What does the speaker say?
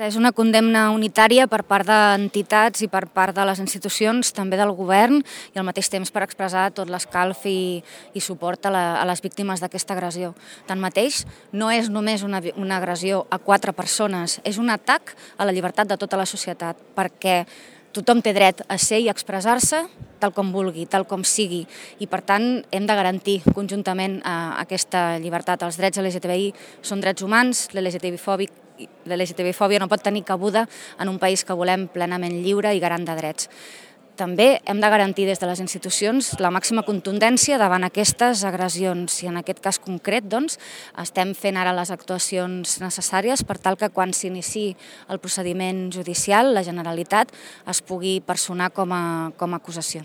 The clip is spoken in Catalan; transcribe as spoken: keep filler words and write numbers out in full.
És una condemna unitària per part d'entitats i per part de les institucions, també del govern, i al mateix temps per expressar tot l'escalf i, i suport a, la, a les víctimes d'aquesta agressió. Tanmateix, no és només una, una agressió a quatre persones, és un atac a la llibertat de tota la societat, perquè tothom té dret a ser i expressar-se tal com vulgui, tal com sigui, i per tant hem de garantir conjuntament eh, aquesta llibertat. Els drets L G T B I són drets humans, l'L G T B fòbia no pot tenir cabuda en un país que volem plenament lliure i garant de drets. També hem de garantir des de les institucions la màxima contundència davant aquestes agressions i en aquest cas concret doncs, estem fent ara les actuacions necessàries per tal que quan s'iniciï el procediment judicial la Generalitat es pugui personar com a, com a acusació.